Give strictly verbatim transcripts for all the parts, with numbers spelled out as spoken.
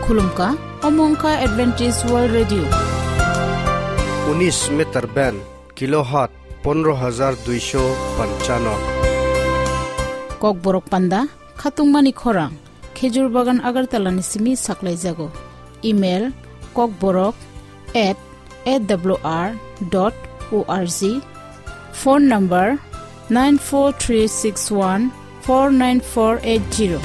Khulumkha, omo wngkha Adventist World Radio. Unis meter band, kilohertz pondro hajar duisho panchano. Kokborok panda, khatungmani khorang, Khejur Bagan Agartala ni simi saklaijago. Email, kokborok at A W R dot O R G. Phone number nine four three six one four nine four eight zero.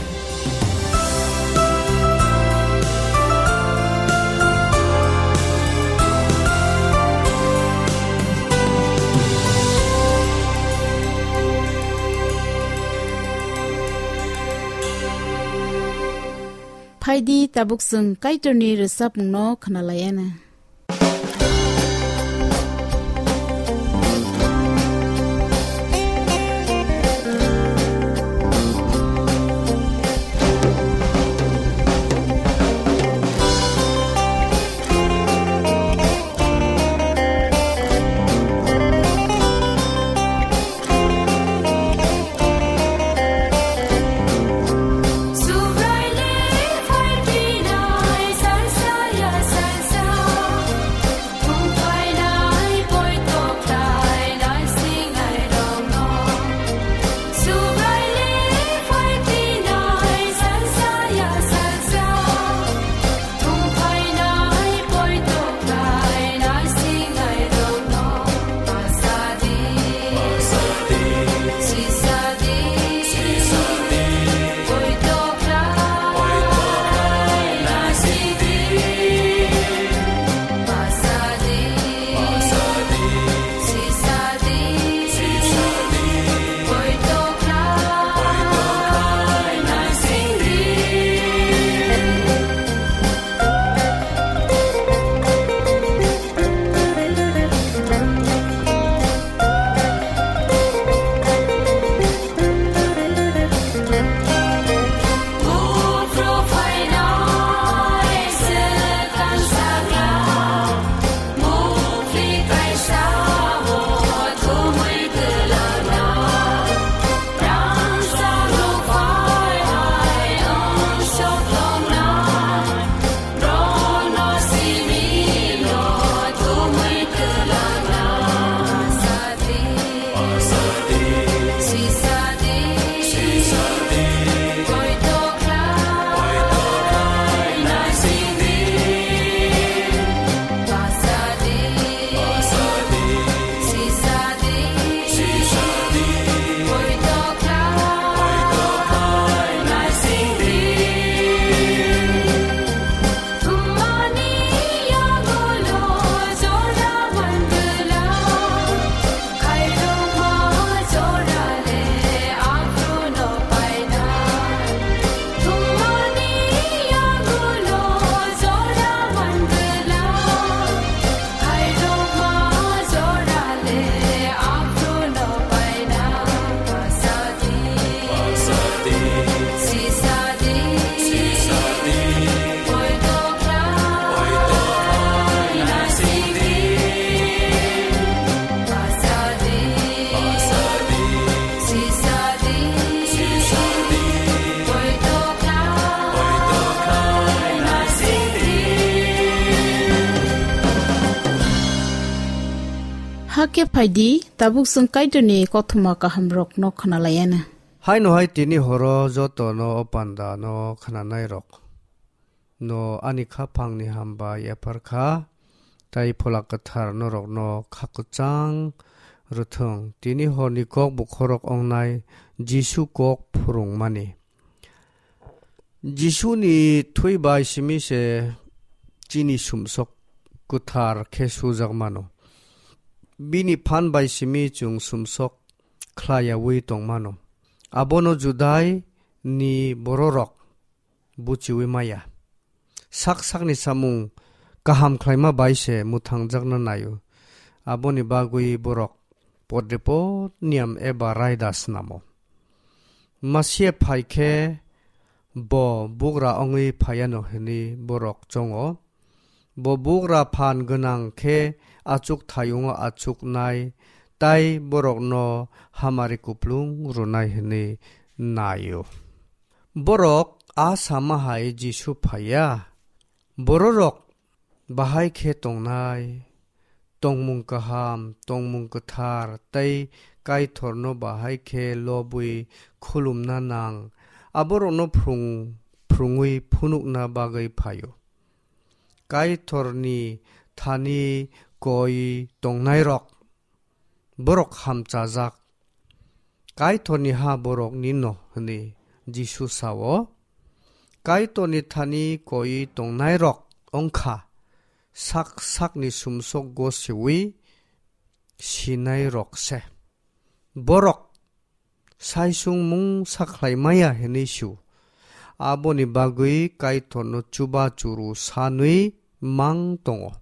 Phaidi tabuk chwng Kaitorni rwchapmungno khwnalaiana. Hakhe phaidi, tabuk chwng Kaitorni kothoma kahamrokno khwnalaiana. Haino hai tini horo jotono o pandano khwnanairok no ani khaphangni hambai yapharkha, tai Phola Kwthar norokno kha kwchang rwthwng. Tini horni kok bukhorok ongnai Jisu kok phwrwngmani. Jisuni thwi bai simi se chini sumsok kwthar khe sujak mano. Bini phan bai simi chwng sumsok khlaiyaui tongmano. Abono Judai ni bororok buchiui maya. Sak sakni samung kaham khlaima bai se mwthangjakna naio. Aboni bagwi borok podrepot niyam eba raida snamo. Masia phai khe bo bugra wngwi phaiano hwnwi borok chongo. Bo bugra phan gwnang khe achuk thayungo achuknai, tai borokno hamari kuplung rwnai hwnwi naio. Borok a sama hai Jisu phaiya, Bororok bahai khe tongnai, tongmung kaham, tongmung kwthar tei Kaitorno bahai khe lobwi khulumna nang, aborokno phrwng-, phrwngwi phunukna bagwi phaio. Kaitorni thani koi tongnairok, borok hamchajak. Kaitorni ha borokni no hwnwi Jisu sao. Kaitorni thani koi tongnairok wngkha sak sakni sumsok gosiwi sinairok se. Borok saisung mungsa khlai maya hwnwi su. Aboni bagwi Kaitorno chuba churu sanwi mang tongo.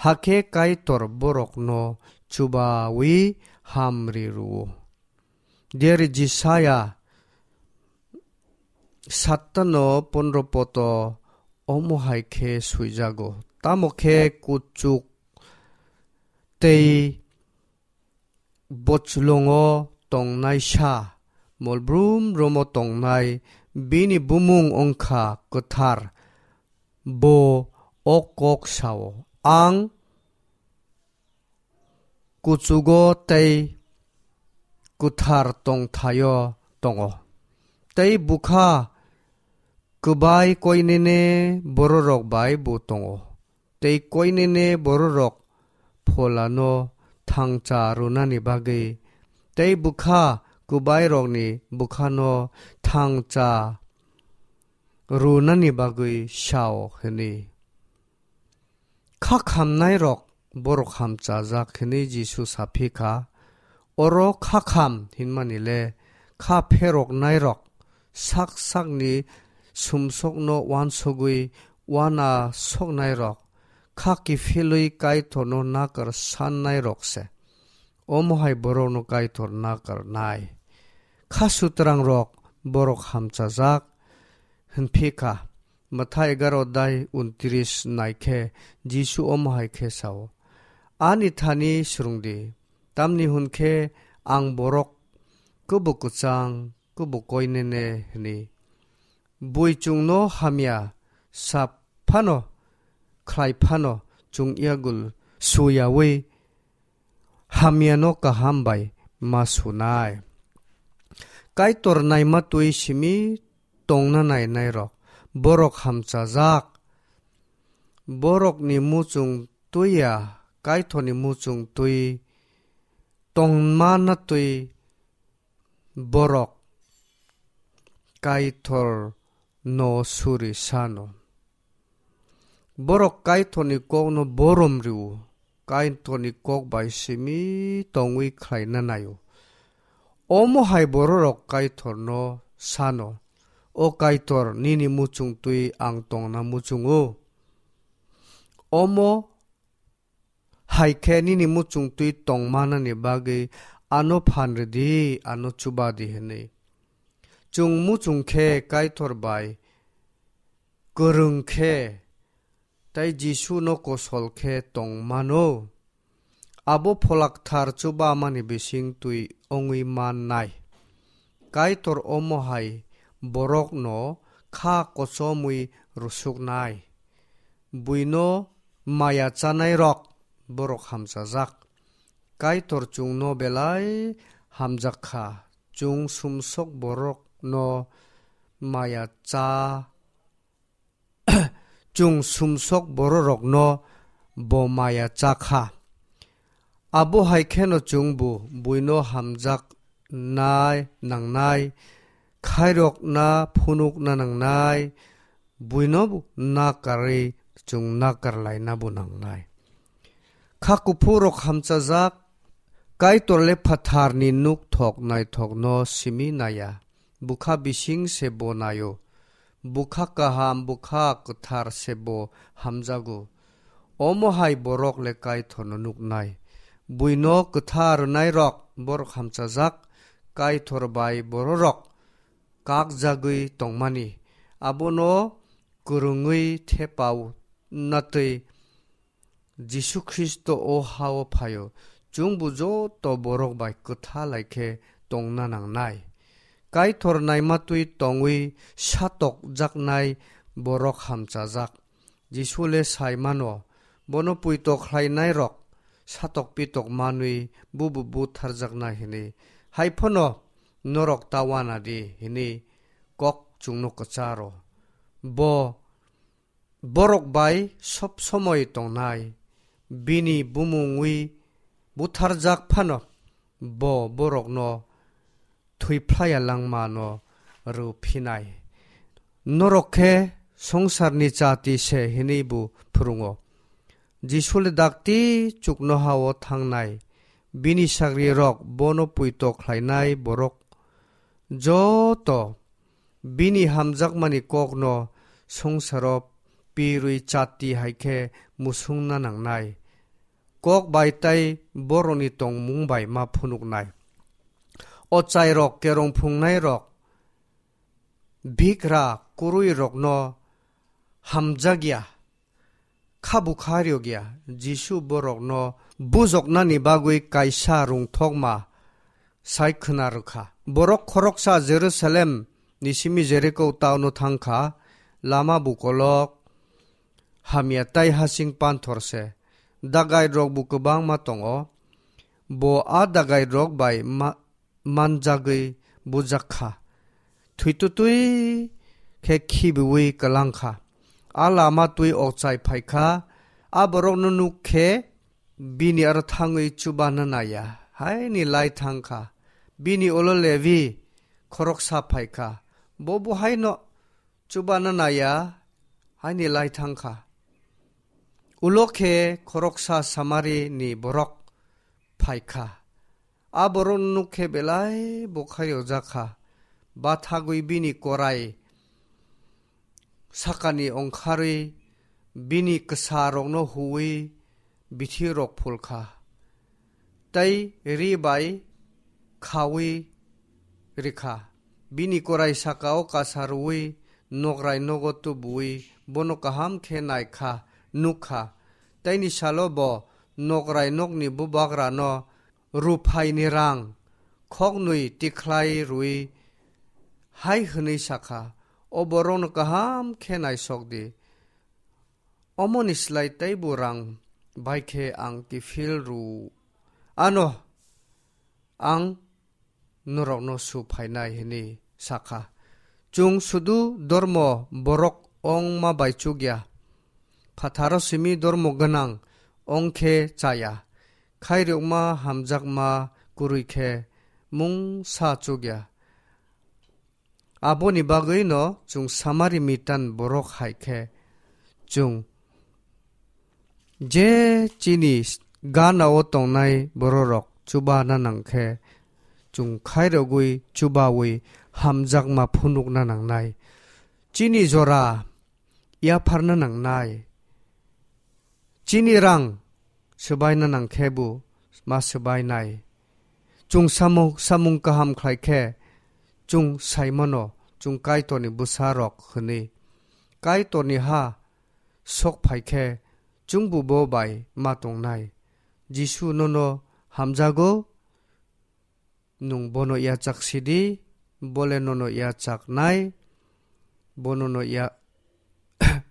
Hakhe Kaitor borokno chubawi hamri rwo. Diari Jisaya sattano pondro poto omo hai khe swijago. Tamo khe kuchuk tei bochlongo tongnaisa molbrum romo tongnai bini bumung wngkha kwthar. Bo o kok sao, "Ang kuchugo tei kwthar tongthaio tongo, tei bwkha kwbai koinene bororok bai bo tongo, tei koinene bororok pholano thangcha rwnani bagwi, tei bwkha kwbairokni bwkhano thangcha rwnani bagwi sao," hwnwi. Kha khamnairok borok hamchajak hwnwi Jisu sa phi kha. Oro kha kham hinmani le kha pheroknairok sak sakni sumsokno uansugwi uana soknairok, kha kiphilwi Kaitorno nakar sannairok se. Omo hai borokno Kaitor nakar nai. Kha sutrangrok borok hamchajak hwnphi kha. Matha egaro dai untris nai khe Jisu omo hai khe sao, "Ani thani swrwng di, tamni hwn khe ang borok kwbo kwchang, kwbo koinene," hwnwi. Bui chwngno hamya sa phano, khlai phano, chwng yagul suyaui hamyano kaham bai ma sunai. Kaitor naima twi simi tongna nainairok, borok hamchajak. Borokni muchung twi ya, Kaitorni muchung twi tongmana twi borok Kaitor no suri sano. Borok Kaitorni kokno borom rwo, Kaitorni kok bai simi tongwi khlaina naio. Omo hai bororok Kaitorno sano, "O Kaitor, nini muchung twi ang tongna muchungo." Omo hai khe nini muchung twi tongmanani bagwi ano phan rwdi, ano chuba di hwnwi. Chwng muchung khe Kaitor bai kwrwng khe tei Jisuno kosol khe tong mano. Abo Pholakthar chubamani bising twi wngwi mannai. Kaitor omo hai borokno kha kochomwi rwsuknai. Buino maya chanairok borok hamchajak. Kaitor chwngno belai hamjak kha. Chwng sumsok borokno maya cha, chwng sumsok bororokno bo maya cha kha. Abo hai kheno chwngbo buino hamjaknai nangnai, khairokna phunukna nangnai, buino nakarwi chwng nakar lainabo nangnai. Kha kuphurrok hamchajak, Kaitor le phatharni nuk thok naithokno simi naiya. Bwkha bising se bo naio. Bwkha kaham, bwkha kwthar se bo hamjago. Omo hai borok le Kaitorno nuknai. Buino kwtha rwnairok borok hamchajak, Kaitor bai bororok kakjagwi tongmani. Abono kwrwngwi thepao natwi Jisu Khristo o ha-o phaio, chwngbo joto borok bai kwtha lai khe tongna nangnai. Kaitor naima twi tongwi satokjaknai borok hamchajak. Jisu le sai mano, bono puito khlainairok satok pitok manwi bubu butharjaknai hwnwi. Hai phano norok ta uana di hwnwi kok chwngno kwcharo. Bo borok bai sob somoi tongnai, bini bumungwi butharjak phano bo borokno thwi phlaiya langmano rw phinai. Norok khe songsarni chati se hwnwi bo phwrwngo. Jisu le dakti chuknoha-o thangnai, bini sagrirok bono puito khlainai borok joto bini hamjakmani kokno songsaro pirwi chati hai khe musungna nangnai. Kok bai tei borokni tongmung bai ma phunuknai. Ochairok, kerong phungnairok, bikra kwrwirokno hamjakya, kha bukha rwkya. Jisu borokno bujoknani bagwi kaisa rwngthokma sai khwna rwkha. Borok khoroksa Jerusalem ni simi Jeriko town-o thangkha, lama bukolok hamya tei hasing panthor se. Dagairok bo kwbangma tongo. Bo a dagairok bai ma-, manjagwi bujak kha. Thwitwtwi khe khibiui kwlang kha. A lama twi okchai phai kha. A borokno nuk khe bini aro thangwi chubana naiya. Haini lai thang kha. Bini ulo Levi khoroksa phai kha. Bo bo haino chubana naiya, haini lai thang kha. Ulo khe khoroksa Samari ni borok phai kha. A borok nuk khe belai bo khairokjak kha. Bathagwi bini korai sakani ongkharwi bini kwsarokno huwi bithi rok phul kha, tei ri bai khaui rikha. Bini korai saka-o kasa rwui nokrai nogo tubuui bono kaham khe nai kha, nuk kha. Teini salo bo nokrai nokni bubagrano ruphaini rang khoknwi tikhlai rwui hai hwnwi sa kha, "O borokno kaham khe naisok di." Omoni slai teibo rang bai khe ang kiphil rw-, ano ang norokno su phainai, hwnwi sa kha. Chwng sudu dormo borok ongma bai chukya, phatharo simi dormo gwnang ong khe chaya, khairokma hamjakma kwrwi khe mungsa chukya. Aboni bagwino chwng Samari mitan borok hai khe chwng je chini gana-o tongnai bororok chubana nang khe chwng khairogwi chubaui hamjakma phunukna nangnai. Chini jora yapharna nangnai. Chini rang swbaina nang khe bo ma swbainai. Chwng samung, samung kaham khlai khe chwng sai mano, chwng Kaitorni bwsarok hwnwi. Kaitorni ha sok phai khe chwngbo bo bai ma tongnai. Jisu nono hamjago. Nwng bono yachak sidi, bole nono yachak nai, bo nono ya-,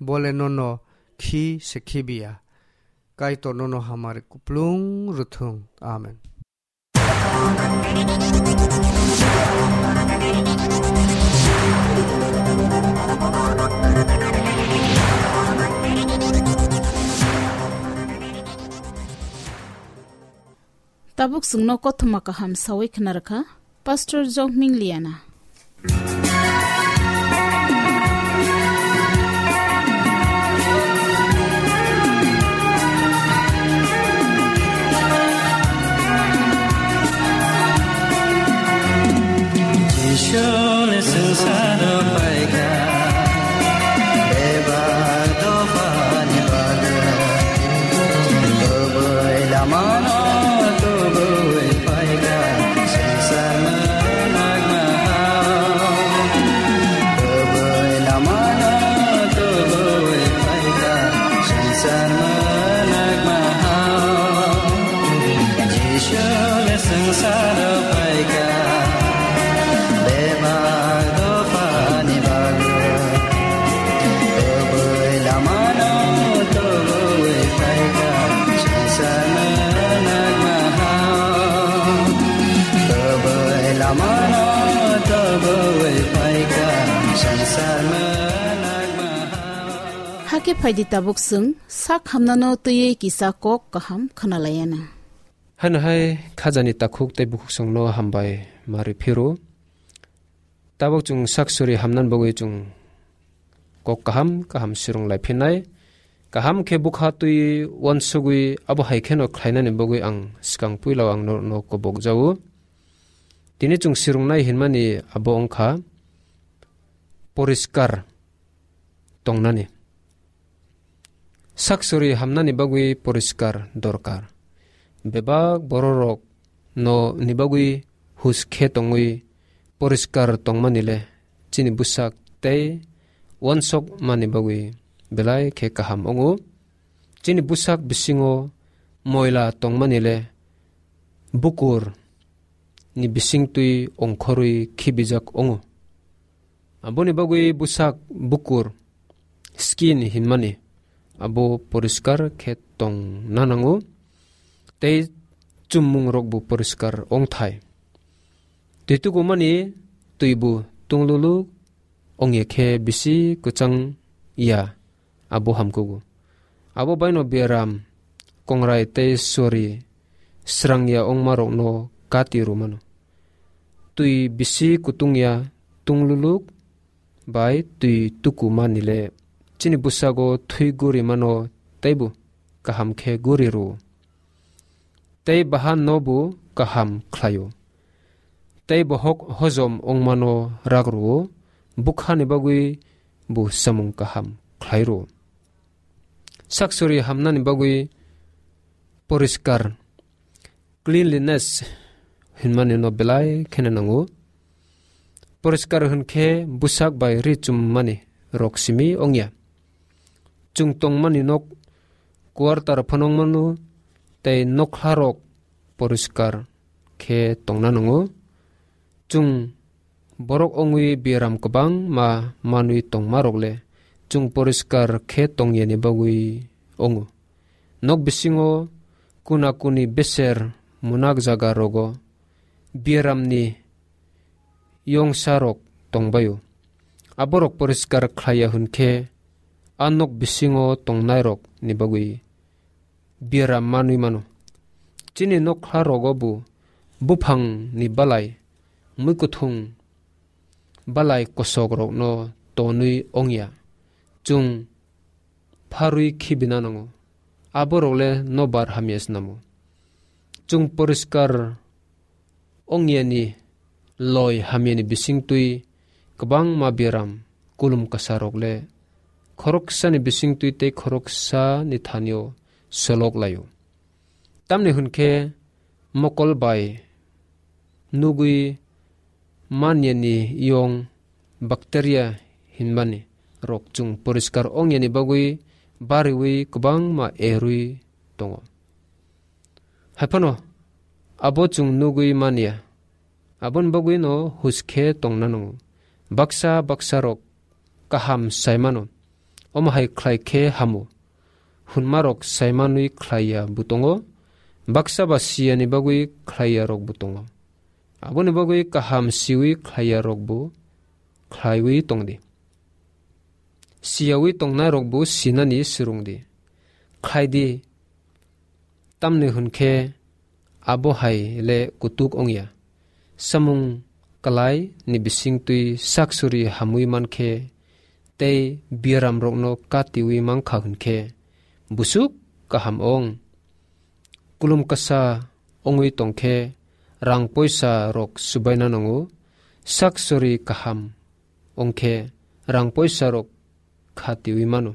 bole nono khi se khibiya. Kaitor nono hamari kuplung rwthwng. Amen. Tabuk chwngno kothoma kaham sawi khna rwkha Pastor Jokming Liana. Jisu le swngcharo paikha, bebak dophani bagwi. Kubui lamano kubui paikha, swngcharno nagna hao. Hakhe phaidi tabuk chwng sak hamnano twiwi kisa kok kaham khwnalaiyana. Hano hai khajani takhuk tei bukhuk songno hambai mari phiru. Tabuk chwng sak suri hamnani bagwi chwng kok kaham kaham sirung lai phinai. Kaham khe bukha twi uansugwi abo hai kheno khlainani bagwi ang swkang puila ang norokno kobok jao. Tini chwng sirungnai hinmani abo wngkha poriskar tongnani. Sak suri hamnani bagwi poriskar dorkar. Bebak bororok no ni bagwi hus khe tongwi poriskar tongmani le chini bwsak tei uansok mani bagwi belai khe kaham wngo. Chini bwsak bisingo moila tongmani le bukur ni bisingtwi ongkhorwi khibijak wngo. Aboni bagwi bwsak bukur, skin hinmani, abo poriskar khe tongna nango, tei chummungrokbo poriskar wngthai. Twi tukumani twibo tungluluk wngya khe bisi kwchang ya, abo hamkugo. Abo baino biaram, kongrai tei sori srangya wngmarokno kati rwmano. Twi bisi kutungya tungluluk bai twi tuku manile chini bwsago thwi guri mano teibo kaham khe guri rwo. Tei bahan no bo kaham khlaio. Tei bohok hojom wngmano rak rwo, bukhani bagwi bo samung kaham khlai rwo. Sak suri hamnani bagwi poriskar, cleanliness hinmani no belai kheno nango. Poriskar hwn khe bwsak bai ri chummani rok simi wngya. Chwng tongmani nok quarter phano wngmano tei nokha rok poriskar khe tongna nango. Chwng borok wngwi biaram kwbangma manwi tongmarok le chwng poriskar khe tongyani bagwi wngo. Nok bisingo kuna kuni beser munak jaga rogo biaramni yongsa rok tongbaio. Aborok poriskar khlaiya hwn khe a nok bisingo tongnairok ni bagwi biaram manwi mano. Chini nokha rogo bo buphang ni balai, muikuthung balai kosok rokno tonwi wngya. Chwng pharwi khibina nango. Aborok le nobar hamya snamo. Chwng poriskar ongyani loi hamyani bisingtwi kwbangma biaram kulum kwsarok le khoroksani bisingtwi tei khoroksani thanio solok laio. Tamni hwn khe mokol bai nugwi manyani yong bacteria hinmani rok chwng poriskar ongyani bagwi bariwi kwbangma erwi tongo. Haiphano abo chwng nugwi manya, aboni bagwino huskhe tongna nango. Baksa baksa rok kaham saimano, omo hai khlai khe hamo hwnmarok saimanwi khlaiya bo tongo, baksa ba siyani bagwi khlaiya rok bo tongo. Aboni bagwi kaham siwi khlaiya rok bo khlaiwi tongdi. Siyawi tongnai rok bo sinani swrwngdi. Khlaidi, tamni hwn khe abo hai le kutuk wngya. Samung kwlai ni bisingtwi sak suri hamwi man khe tei biaram rokno katiwi man kha hwn khe busuk kaham ong. Kulum kasa wngwi tong khe rang poisa rok subaina nango. Sak suri kaham wng khe rang poisa rok khatiwi mano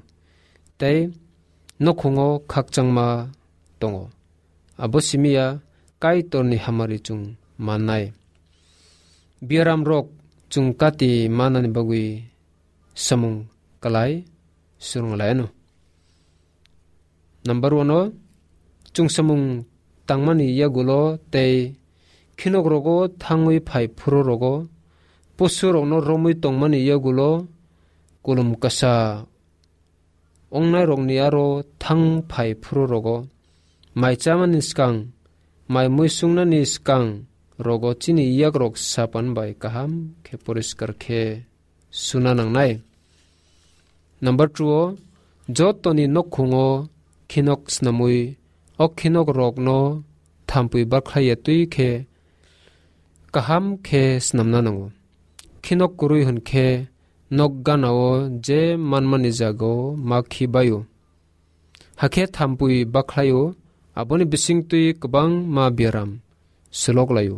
tei nokhungo khakchangma tongo. Abo simi ya Kaitorni hamari chwng mannai. Biaram rok chwng kati manani bagwi samung kwlai swrwng lai anw. Number one o chwng samung tangmani yagulo tei khinok rogo thangwi phai phuru rogo posu rokno romwi tongmani yagulo kulum kasa ongnairokni aro thang phai phuru rogo, mai chamani swkang, mai muisungnani swkang rogo chini yakrok sapan bai kaham khe poriskar khe suna nangnai. Number two o Jotoni nokhungo khinok snamwi, o khinok rokno thampwi bakhlaiya twi khe kaham khe snamna nango. Khinok kwrwi hwn khe nok ganao je manmani jagao ma khi baio. Hakhe thampwi bakhlaio, aboni bisingtwi kwbangma biaram swlok laio.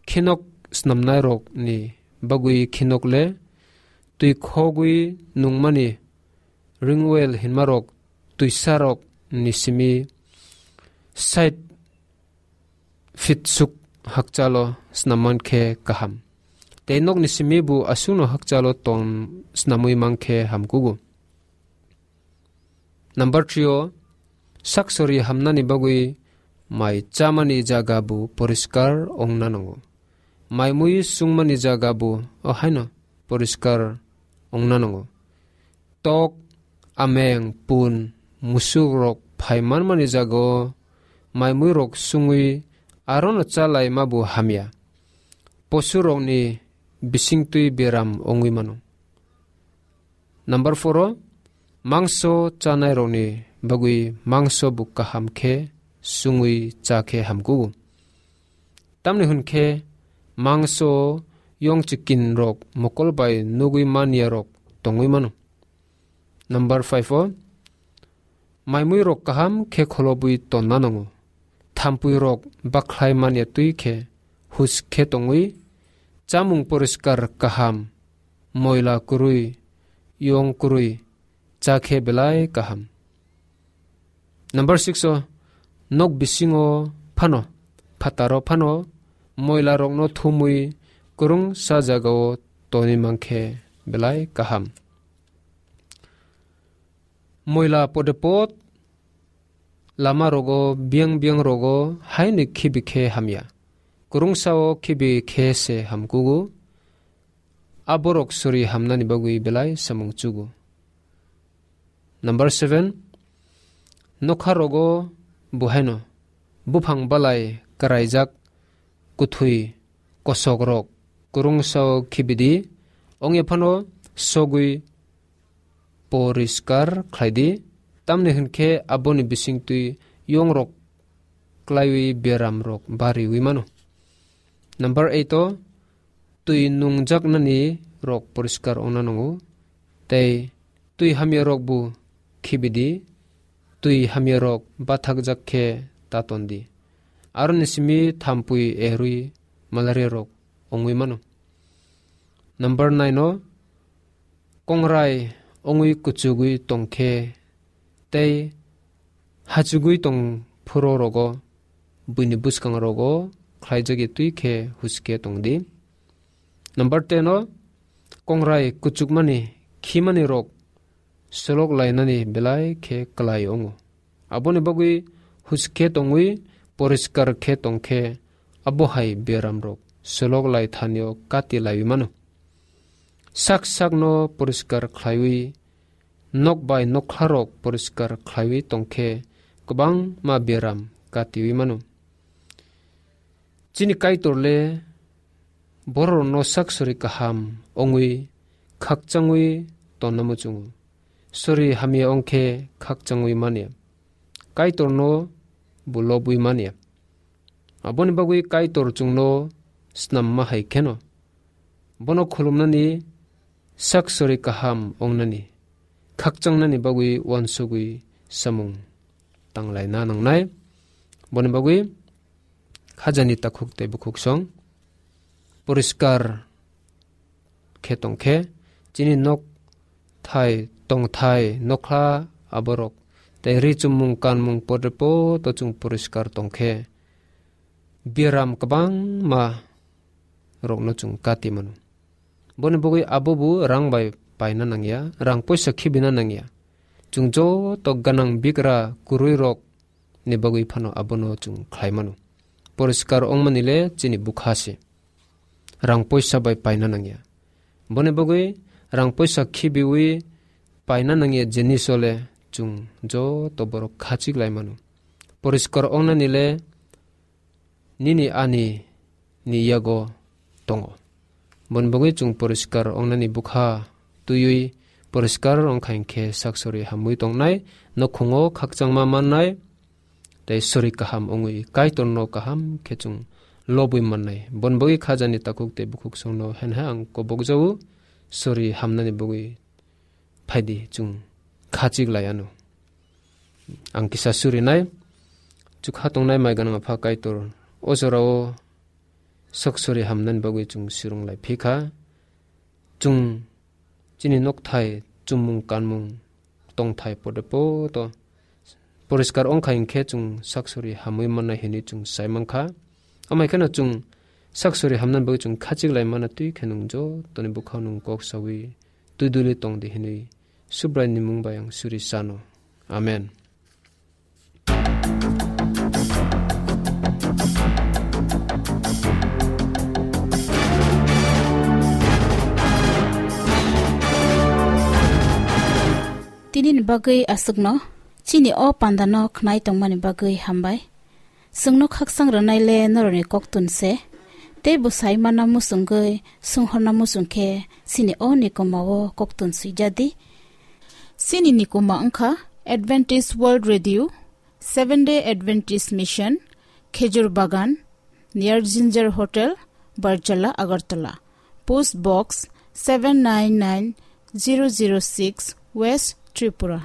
Khinok snamnairokni bagwi khinok le twi khogwi nungmani ringwel hinmarok twisarok ni simi sait fit suk hakchalo snamman khe kaham. Tei nokni simi bu aswkno hakchalo ton snamwi mankhe hamkugo. Number three o, saksori hamnani bagwi mai chamani jaga bu poriskar ongna nango. Mai mui sungmani jaga bu o haino poriskar ongna nango. Tok, ameng, pun, musuk rok phai manmani jaga o mai mui rok sungwi arono chalai mabu hamya. Posu rokni bisingtwi beram ongwi mano. Number four o, mangso chanai rokni bagwi mangso bu kaham khe sungwi cha khe hamkugo. Tamni hwn khe mangso yong chikin rok mokol bai nugwi manya rok tongwi mano. Number five o, maimui rok kaham khe kholobwi tonna nango. Thampui rok bakhlai manya twi khe hus khe tongwi chamung poriskar kaham, moila kwrwi, yong kwrwi cha khe belai kaham. Number six o, nok bisingo phano, phataro phano moila rokno thumwi kwrwngsa jagao tonwi mankhe belai kaham. Moila podepot lama rogo, biyang biyang rogo haino khibi khe hamya. Kwrwngsa o khibi khe se hamkugo. A borok sori hamnani bagwi belai samung chugo. Number seven, nokha rogo buhaino buphang balai kwraijak kwthwi kosok rok kwrwngsa o khibidi, ongya phano sogwi poriskar khlaidi, tamni hwn khe aboni bisingtwi yong rok klaiwi beram rok bariwi mano. Number eight o, twi nungjaknani rok poriskar ongna nango, tei twi hamya rok bu khibidi, twi hamya rok bathakjak khe ta tondi. Aroni simi thampui ehrwi malaria rok ongwi mano. Number nine o, kongrai ongwi kuchugwi tongkhe tei hachugwi tong phuro rogo, buini bwskang rogo khlaijagwi twi khe huske tongdi. Number ten o, kongrai kuchukmani khimani rok solok lainani belai khe klai wngo. Aboni bagwi huske tongwi poriskar khe tongkhe abo hai beram rok solok lai thanio kati laiwi mano. Sak sakno poriskar khlaiwi nok bai nokha rok poriskar khlaiwi tongkhe kwbangma beram katiwi mano. Chini Kaitor le bororokno sak sori kaham ongwi khakchangwi tonna muchungo. Sori hamya ongkhe khakchangwi manya. Kaitorno bo lobwi manya. Aboni bagwi Kaitor chwngno snamma hai kheno bono khulumnani sak sori kaham ongnani, khakchangnani bagwi uansugwi samung tanglaina nangnai. Boni bagwi khajani takhuk tei bukhuk song poriskar khe tongkhe, chini nok thai tongthai nokha aborok tei ri chumung kanmung podre poto chwng poriskar tongkhe, biaram kwbangma rokno chwng kati mano. Boni bagwi abo bo rang bai paina nangya, rang poisa khibina nangya. Chwng joto ganang bigra kwrwi rok ni bagwi phano abono chwng khlai mano. Poriskar ongmani le chini bwkha se. Rang poisa bai paina nangya. Boni bagwi rang poisa khibiwi paina nangya jiniso le chwng joto borok khachik lai mano. Poriskar ongnani le nini ani ni yago tongo. Boni bagwi chwng poriskar ongnani bwkha twiwi poriskar wngkha hinkhe saksori hamwi tongnai, nukhungo khakchangma mannai, tei sori kaham wngwi Kaitorno kaham khe chwng lobwi mannai. Bon bagwi khajani takhuk tei bukhuk songno henha ang kobokjao, sori hamnani bagwi phaidi chwng khachik lai anw. Ang kisa surinai, chukha tongnai mai gwnang Apha Kaitor, o jorao saksori hamnani bagwi chwng surung lai phikha. Chwng chini nokthai, chumung, kanmung, tongthai pode poto poriskar wngkha hinkhe chwng saksori hamwi mannai hinwi chwng sai mankha. Amai kheno chwng saksori hamnani bagwi chwng khachik lai mana twi khe nwng jotoni bwkhao nwng kok sawi twi duli tongdi hinwi Subraini mung bai ang suri sano. Amen. Tini ni bagwi aswkno, chini o panda no khnai tongmani bagwi hambai. Chwngno khakchang rwnai le norokni koktun se, tei bwsai mana muchungwi sunghorna muchung khe chini o nikoma o koktun swijadi. Chini nikoma wngkha Adventist World Radio, Seventh Day Adventist Mission, Khejur Bagan, near Ginger Hotel, Barjala, Agartala. Post Box seven nine nine zero zero six, West Tripura.